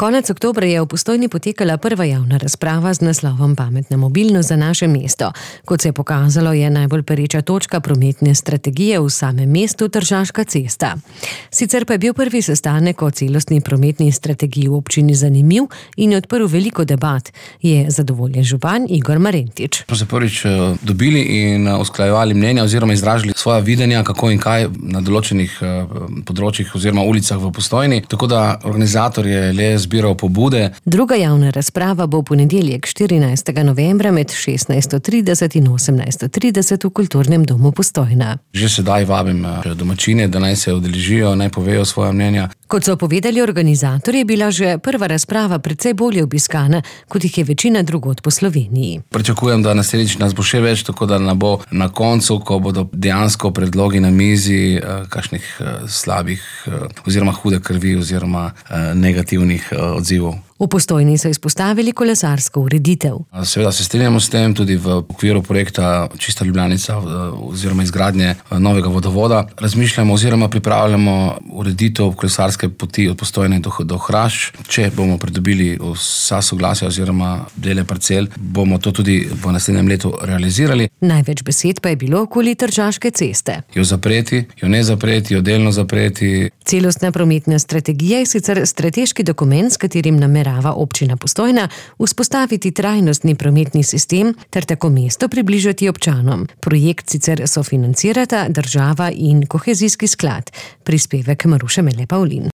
Konec oktobra je v Postojni potekala prva javna razprava z naslovom Pametna mobilnost za naše mesto. Kot se je pokazalo, je najbolj pereča točka prometne strategije v samem mestu Tržaška cesta. Sicer pa je bil prvi sestanek o celostni prometni strategiji v občini zanimiv in je odprl veliko debat, je zadovoljen župan Igor Marentič. Smo se prvič dobili in usklajevali mnenja oziroma izražali svoja videnja, kako in kaj na določenih področjih oziroma ulicah v Postojni. Tako da organizator je le zbiral pobude. Druga javna razprava bo v ponedeljek 14. novembra med 16:30 in 18:30 v Kulturnem domu Postojna. Že sedaj vabim domačine, da naj se udeležijo, naj povejo svoja mnenja. Kot so povedali organizatorji, je bila že prva razprava precej bolje obiskana, kot jih je večina drugod po Sloveniji. Pričakujem, da naslednjič nas bo še več, tako da ne bo na koncu, ko bodo dejansko predlogi na mizi, kakšnih slabih oziroma hude krvi oziroma negativnih odzivov. V Postojni so izpostavili kolesarsko ureditev. Seveda se strinjamo s tem, tudi v okviru projekta Čista Ljubljanica oziroma izgradnje novega vodovoda. Razmišljamo oziroma pripravljamo ureditev kolesarske poti od Postojne do Hrašč. Če bomo pridobili vsa soglasja oziroma dele parcel, bomo to tudi v naslednjem letu realizirali. Največ besed pa je bilo okoli Tržaške ceste. Jo zapreti, jo ne zapreti, jo delno zapreti. Celostna prometna strategija je sicer strateški dokument, s katerim namerava občina Postojna vzpostaviti trajnostni prometni sistem ter tako mesto približati občanom. Projekt sicer sofinancirata država in kohezijski sklad. Prispevek Maruše Mele Pavlin.